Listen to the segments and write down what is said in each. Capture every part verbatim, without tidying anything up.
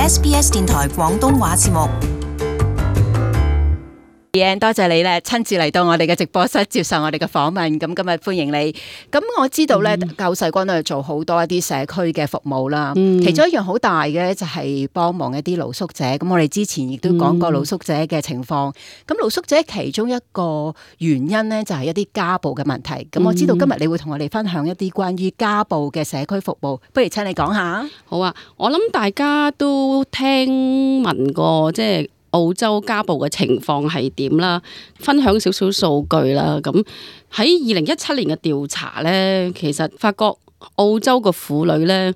S B S 電台廣東話節目。多謝你咧，親自嚟到我哋嘅直播室接受我哋嘅訪問。咁今日歡迎你。咁我知道咧，救世軍都係做好多一啲社區嘅服務啦。嗯、其中一樣好大嘅就係幫忙一啲露宿者。咁我哋之前亦都講過露宿者嘅情況。咁、嗯、露宿者其中一個原因咧，就係一啲家暴嘅問題。咁我知道今日你會同我哋分享一啲關於家暴嘅社區服務，不如請你講下。好啊，我諗大家都聽聞過，即係澳洲家暴嘅情況係點啦，分享少少數據啦。咁喺二零一七年嘅調查呢，其實發覺澳洲嘅婦女呢，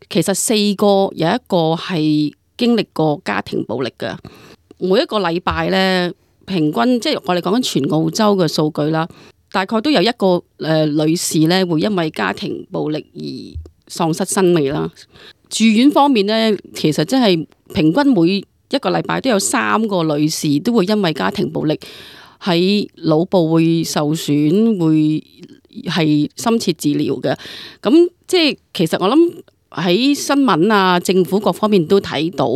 其實四個有一個係經歷過家庭暴力嘅。每一個禮拜呢，平均即係我哋講緊全澳洲嘅數據啦，大概都有一個誒、呃、女士呢會因為家庭暴力而喪失生命啦。住院方面呢，其實真係平均每一個禮拜都有三個女士都會因為家庭暴力喺腦部會受損，會係深切治療嘅。咁即係其實我諗喺新聞啊、政府各方面都睇到，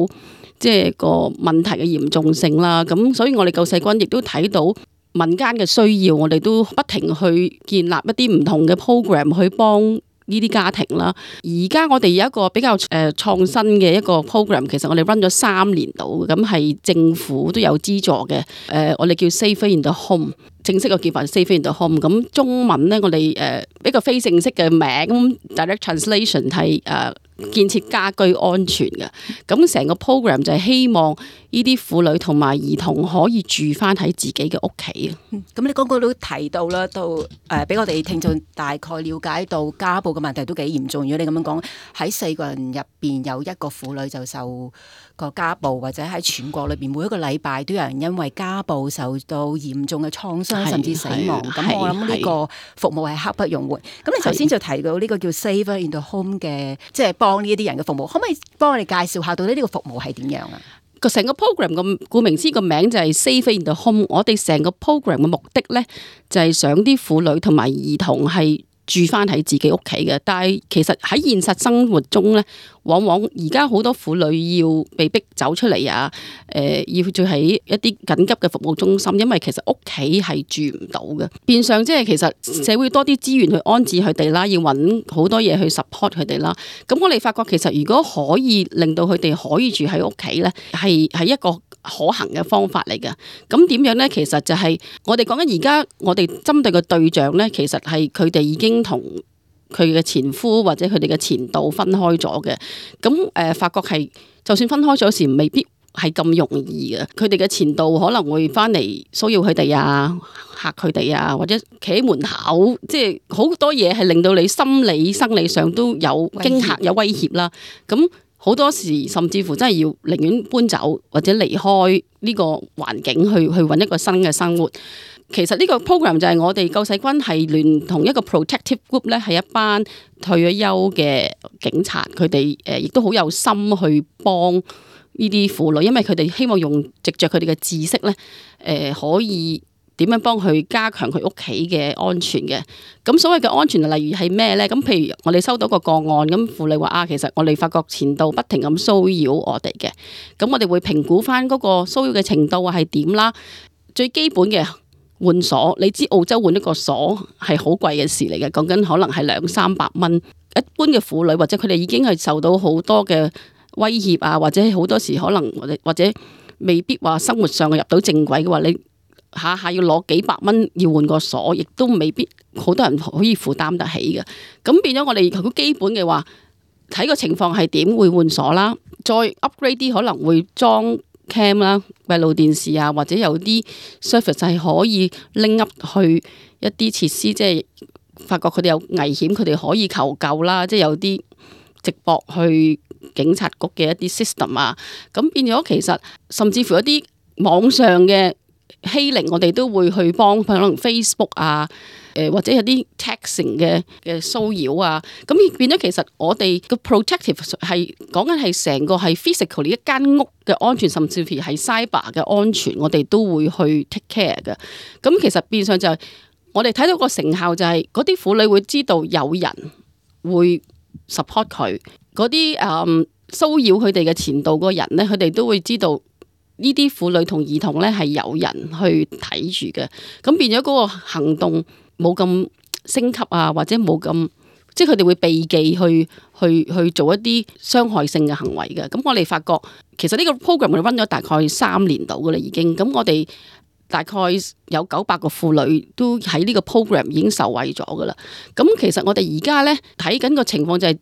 即係個問題嘅嚴重性啦。咁所以我哋救世軍亦都睇到民間嘅需要，我哋都不停去建立一啲唔同嘅 program 去幫呢啲家庭啦。而家我哋有一個比較誒創新嘅一個 program， 其實我哋 run 咗三年度，咁係政府都有資助嘅。誒、呃，我哋叫 Safer in the Home， 正式嘅叫法 Safer in the Home。咁中文咧，我哋誒一個非正式嘅名 ，direct translation 係誒、呃、建設家居安全嘅。咁成個 program 就係希望呢啲婦女同埋兒童可以住翻喺自己嘅屋企啊。咁、嗯、你剛剛都提到啦，到誒俾我哋聽眾大概了解到家暴嘅問題都幾嚴重。如果你咁樣講，喺四個人入邊有一個婦女就受個家暴，或者喺全國裏邊每一個禮拜都有人因為家暴受到嚴重嘅創傷甚至死亡。咁我諗呢個服務係刻不容緩。咁你頭先就提到呢個叫 Safer in the Home 嘅，即係幫呢一啲人嘅服務，可唔可以幫我哋介紹下到底呢個服務係點樣啊？個成個 program 咁顧名思義個名就係 Safer in the Home。我哋成個 program 嘅目的咧，就係想啲婦女同埋兒童係住翻喺自己屋企嘅。但係其實喺現實生活中咧，往往而家好多婦女要被逼走出嚟啊，誒、呃，要住喺一啲緊急嘅服務中心，因為其實屋企係住唔到嘅。變相即係其實社會多啲資源去安置佢哋啦，要揾好多嘢去 support 佢哋啦。咁我哋發覺其實如果可以令到佢哋可以住喺屋企咧，係係一個可行嘅方法嚟嘅。咁點樣咧？其實就係我哋講緊而家我哋針對嘅對象咧，其實係佢哋已經同佢嘅前夫或者佢哋嘅前度分開咗嘅。咁誒、呃，發覺係就算分開咗時，未必係咁容易嘅。佢哋嘅前度可能會翻嚟騷擾佢哋啊，嚇佢哋啊，或者企喺門口，即係好多嘢係令到你心理、生理上都有驚嚇、有威脅啦。咁好多時甚至乎真係要寧願搬走或者離開呢個環境，去去揾一個新嘅生活。其實呢個 program 就係我哋救世軍係聯同一個 protective group 咧，係一班退咗休嘅警察，佢哋誒亦都好有心去幫呢啲婦女，因為佢哋希望用藉着佢哋嘅知識咧，誒、呃、可以點樣幫佢加強佢屋企嘅安全嘅。咁所謂嘅安全例如係咩咧？咁譬如我哋收到個個案，咁婦女話啊，其實我哋發覺前度不停咁騷擾我哋嘅，咁我哋會評估翻嗰個騷擾嘅程度係點啦。最基本嘅換鎖，你知澳洲換一個鎖係好貴嘅事嚟嘅，講緊可能係兩三百蚊。一般嘅婦女或者佢哋已經係受到好多嘅威脅啊，或者好多時可能或者或者未必話生活上入到正軌嘅話，你下下要攞幾百蚊要換個鎖，亦都未必好多人可以負擔得起嘅。咁變咗我哋好基本嘅話，睇個情況係點會換鎖啦，再 upgrade 啲可能會裝cam 啦、閉路電視啊，或者有啲 service 係可以拎 up 去一啲設施，即係發覺佢哋有危險，佢哋可以求救啦。即係有啲直駁去警察局嘅一啲 system 啊，咁變咗其實甚至乎一啲網上嘅欺凌，我哋都會去幫，可能 Facebook 啊。誒或者有啲 texting 嘅嘅騷擾啊，咁變咗其實我哋個 protective 係講緊係成個係 physically 一間屋嘅安全，甚至乎係 cyber 嘅安全，我哋都會去 take care 嘅。咁其實變相就係我哋睇到個成效就係嗰啲婦女會知道有人會 support 佢，嗰啲誒騷擾佢哋嘅前度嗰個人咧，佢哋都會知道呢啲婦女同兒童咧係有人去睇住嘅，咁變咗嗰個行動冇咁升級啊，或者冇咁。即係佢哋會避忌去去去做一啲傷害性嘅行為嘅。咁我哋發覺其實呢個 program 我哋 run 咗大概三年度噶啦已經。咁我哋大概有九百個婦女都喺呢個 program 已經受惠咗噶啦。咁其實我哋而家咧睇緊個情況就係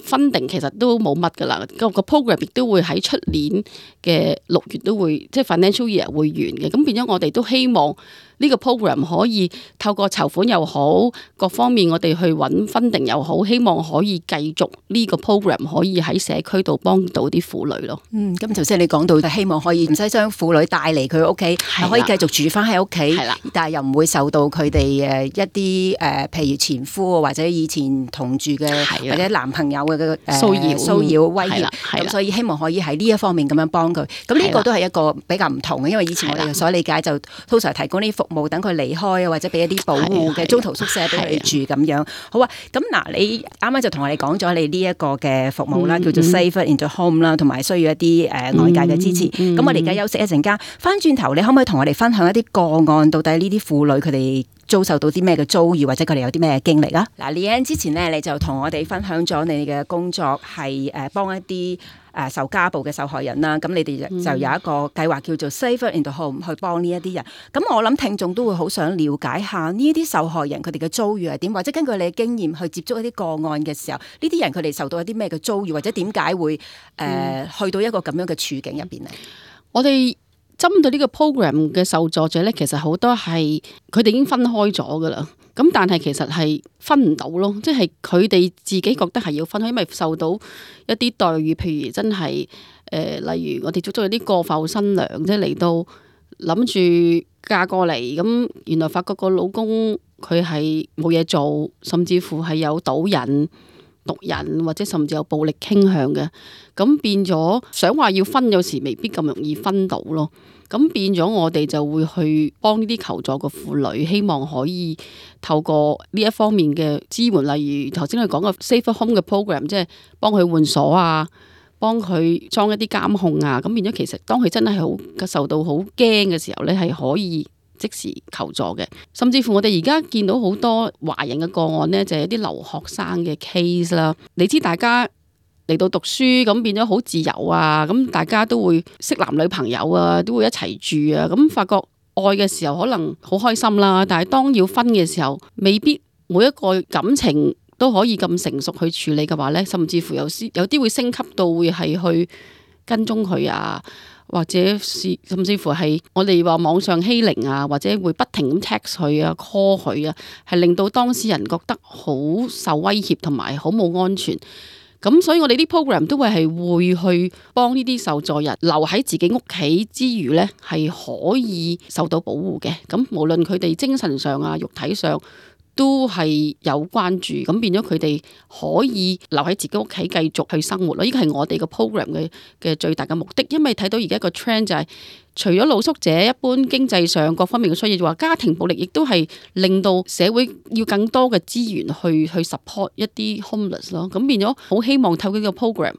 funding其實都冇乜噶啦。個 program 亦都會喺出年嘅六月都會即係 financial year 會完嘅。咁變咗我哋都希望呢個 program 可以透過籌款又好，各方面我哋去揾 funding 又好，希望可以繼續呢個 program 可以喺社區度幫到啲婦女咯。嗯，咁頭先你講到就希望可以唔使將婦女帶嚟佢屋企，係可以繼續住翻喺屋企，係啦，但係又唔會受到佢哋誒一啲誒譬如前夫或者以前同住嘅或者男朋友嘅嘅誒騷擾騷擾威脅，咁所以希望可以喺呢一方面咁樣幫佢。咁呢個都係一個比較唔同嘅，因為以前我哋所理解就通常提供呢啲服務，等佢離開啊，或者俾一啲保護嘅中途宿舍俾佢哋住咁樣。好啊，咁嗱，你啱啱就同我哋講咗你呢一個嘅服務啦，嗯、叫做 Safer into Home 啦，同埋需要一啲誒外界嘅支持。咁、嗯嗯、我哋而家休息一陣間，翻轉頭你可唔可以同我哋分享一啲個案？到底呢啲婦女佢哋遭受到啲咩嘅遭遇，或者佢哋有啲咩經歷啊？嗱，Leanne之前咧，你就同我哋分享咗你嘅工作係誒幫一啲誒受家暴嘅受害人啦。咁你哋就有一個計劃叫做 Safer into Home 去幫呢一啲人。咁我諗聽眾都會好想了解下呢啲受害人佢哋嘅遭遇係點，或者根據你嘅經驗去接觸一啲個案嘅時候，呢啲人佢哋受到一啲咩嘅遭遇，或者點解會誒、呃、去到一個咁樣嘅處境入邊咧？我哋針對呢個 program 嘅受助者咧，其實好多係佢哋已經分開咗噶啦。咁但係其實係分唔到咯，即係佢哋自己覺得係要分開，因為受到一啲待遇，譬如真係誒、呃，例如我哋捉咗有啲過埠新娘，即係嚟到諗住嫁過嚟，咁原來發覺個老公佢係冇嘢做，甚至乎係有賭癮、毒癮，或者甚至有暴力傾向嘅，咁變咗想話要分，有時未必咁容易分到咯。咁變咗我哋就會去幫呢啲求助嘅婦女，希望可以透過呢一方面嘅支援，例如頭先佢講嘅 Safer Home 嘅 program， 即係幫佢換鎖啊，幫佢裝一啲監控啊。咁變咗其實當佢真係好受到好驚嘅時候咧，係可以即時求助嘅。甚至乎我哋而家見到好多華人嘅個案咧，就係一啲留學生嘅 case 啦。你知大家嚟到讀書咁變咗好自由啊，咁大家都會識男女朋友啊，都會一齊住啊，咁發覺愛嘅時候可能好開心啦，但係當要分嘅時候，未必每一個感情都可以咁成熟去處理嘅話呢，甚至乎有啲有啲會升級到會係去跟蹤佢啊，或者是甚至乎係我哋話網上欺凌啊，或者會不停咁 text 佢啊 call 佢啊，係令到當事人覺得好受威脅同埋好冇安全。咁所以我哋啲 program 都會係會去幫呢啲受助人留喺自己屋企之餘呢，係可以受到保護嘅。咁無論佢哋精神上啊、肉體上都係有關注，咁變咗佢哋可以留喺自己屋企繼續去生活咯。呢個係我哋個 program 嘅嘅最大嘅目的，因為睇到而家個 trend 就係、是、除咗露宿者一般經濟上各方面嘅需要，就話家庭暴力亦都係令到社會要更多嘅資源去去 support 一啲 homeless 咯。咁變咗好希望透過呢個 program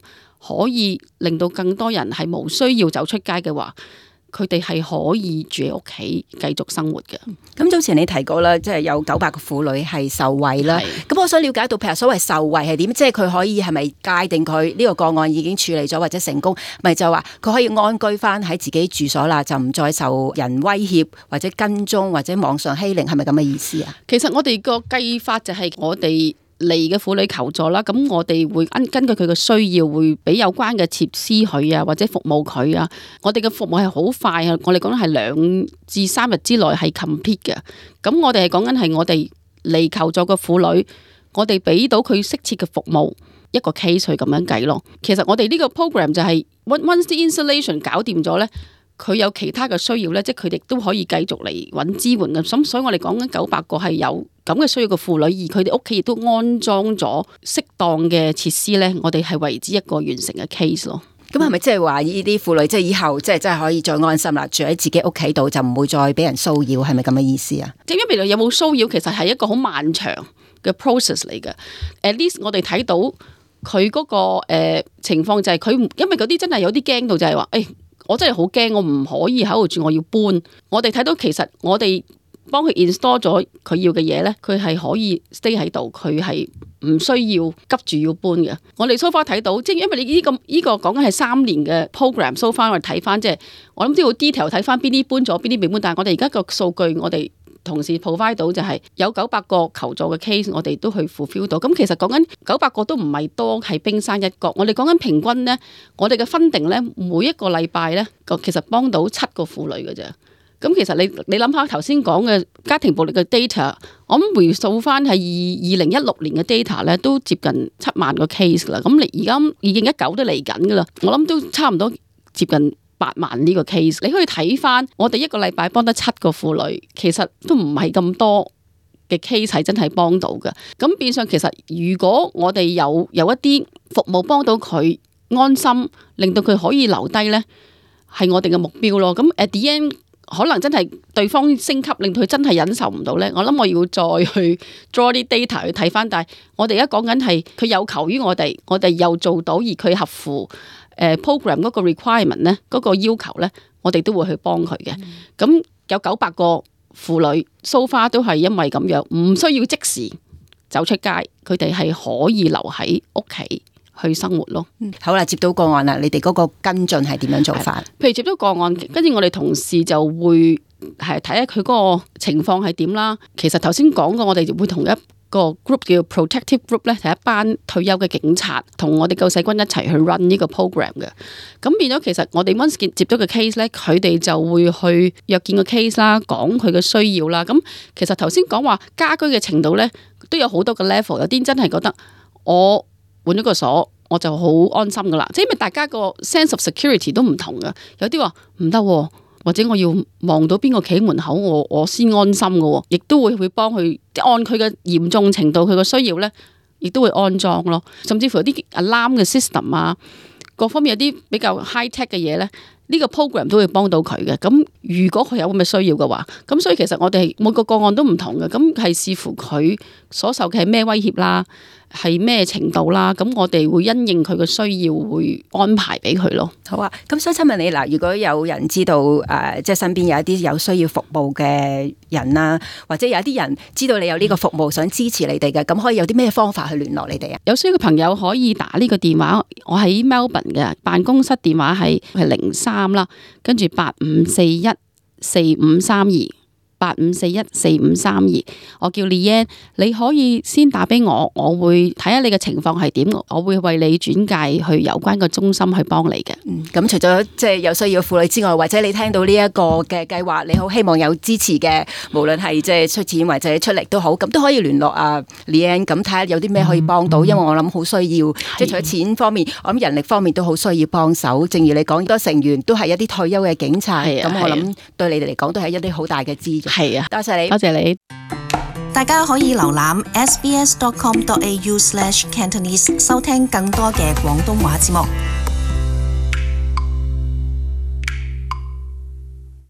可以令到更多人係冇需要走出街嘅話，佢哋係可以住喺屋企繼續生活嘅。咁早前你提過啦，即係有九百個婦女係受惠啦。咁我想了解到，譬如所謂受惠係點？即係佢可以係咪界定佢呢個個案已經處理咗或者成功？咪就話佢可以安居翻喺自己住所啦，就唔再受人威脅或者跟蹤或者網上欺凌，係咪咁嘅意思啊？其實我哋個計法就係我哋嚟嘅婦女求助啦，咁我哋會根根據佢嘅需要，會俾有關嘅設施佢啊，或者服務佢啊。我哋嘅服務係好快啊，我哋講緊係兩至三日之內係 complete 嘅。咁我哋係講緊係我哋嚟求助嘅婦女，我哋俾到佢適切嘅服務，一個 case 去咁樣計咯。其實我哋呢個 program 就係 once the installation 搞掂咗咧，佢有其他嘅需要咧，即係佢哋都可以繼續嚟揾支援嘅。咁所以我哋講緊九百個係有咁嘅需要嘅婦女，而佢哋屋企亦都安裝咗適當嘅設施咧，我哋係為之一個完成嘅 case 咯。咁係咪即係話呢啲婦女即係以後即係真係可以再安心啦，住喺自己屋企度就唔會再俾人騷擾，係咪咁嘅意思啊？即係因為有冇騷擾，其實係一個好漫長嘅 process 嚟嘅。At least 我哋睇到佢嗰、那個誒、呃、情況就係佢，因為嗰啲真係有啲驚到就係話，誒、欸、我真係好驚，我唔可以喺度住，我要搬。我哋睇到其實我哋幫佢 install 咗佢要嘅嘢咧，佢係可以 stay 喺度，佢係唔需要急住要搬嘅。我哋 so far 睇到，即係因為你呢、這個呢、這個講緊係三年嘅 program，so far 我哋睇翻，即係我諗都要 detail 睇翻邊啲搬咗，邊啲未搬。但係我哋而家個數據，我哋同事 provide 到就係有九百個求助嘅 case，我哋都去 fulfill 到。咁其實講緊九百個都唔係多，係冰山一角。我哋講緊平均咧，我哋嘅funding咧，每一個禮拜咧，個其實幫到七個婦女嘅啫。咁其實你你諗下頭先講嘅家庭暴力嘅 data， 我諗回溯翻係二二零一六年嘅 data 咧，都接近七萬個 case 啦。咁你而家二零一九都嚟緊噶啦，我諗都差唔多接近八萬呢個 case。你可以睇翻我哋一個禮拜幫得七個婦女，其實都唔係咁多嘅 case 係真係幫到嘅。咁變相其實如果我哋有有一啲服務幫到佢安心，令到佢可以留低咧，係我哋嘅目標咯。咁 at the end，可能真係對方升級，令到佢真係忍受唔到呢。我諗我要再去 draw 啲 data 去睇翻，但係我哋而家講緊係佢有求於我哋，我哋又做到，而佢合乎誒 program 嗰個 requirement 呢，嗰個要求呢，我哋都會去幫佢嘅。咁、嗯、有九百個婦女 so far 都係因為咁樣，唔需要即時走出街，佢哋係可以留喺屋企去生活咯。嗯、好啦，接到個案啦，你哋嗰個跟進係點樣做法？譬如接到個案，跟住我哋同事就會係睇下佢嗰個情況係點啦。其實頭先講過，我哋會同一個 group 叫 protective group 咧，係一班退休嘅警察，同我哋救世軍一齊去 run 呢個 program 嘅。咁變咗，其實我哋 once 接到個 case 咧，佢哋就會去約見個 case 啦，講佢嘅需要啦。咁其實頭先講話家居嘅程度咧，都有好多個 level。有啲真係覺得我換咗個鎖，我就好安心噶啦。即係因為大家個 sense of security 都唔同噶，有啲話唔得，或者我要望到邊個企門口，我我先安心噶。亦都會會幫佢按佢嘅嚴重程度，佢嘅需要咧，亦都會安裝咯。甚至乎有啲 alarm 嘅 system 啊，各方面有啲比較 high tech 嘅嘢咧，呢個 program 都會幫到佢嘅。咁如果佢有咁嘅需要嘅話，咁所以其實我哋每個個案都唔同嘅，咁係視乎佢所受嘅係咩威脅啦，係咩程度啦，咁我哋會因應佢嘅需要，會安排俾佢咯。好啊，咁所以請問你嗱，如果有人知道誒、呃，即係身邊有一啲有需要服務嘅人啦，或者有一啲人知道你有呢個服務，想支持你哋嘅，咁可以有啲咩方法去聯絡你哋啊？有需要嘅朋友可以打呢個電話，我喺 Melbourne 嘅辦公室電話係係零三啦，跟住八五四一四五三二。八五四一四五三二，我叫 Leanne， 你可以先打俾我，我會睇下你嘅情況係點，我會為你轉介去有關嘅中心去幫你嘅。嗯，咁除咗即係有需要婦女之外，或者你聽到呢一個嘅計劃，你好希望有支持嘅，無論係即係出錢或者出力都好，咁都可以聯絡啊 Leanne， 咁睇下有啲咩可以幫到，嗯、因為我諗好需要，即係除咗錢方面，我諗人力方面都好需要幫手。正如你講，多成員都係一啲退休嘅警察，咁我諗對你哋嚟講都係一啲好大嘅資助。係啊，多謝你，多謝你。大家可以瀏覽 s b s dot com dot a u slash cantonese 收聽更多嘅廣東話節目。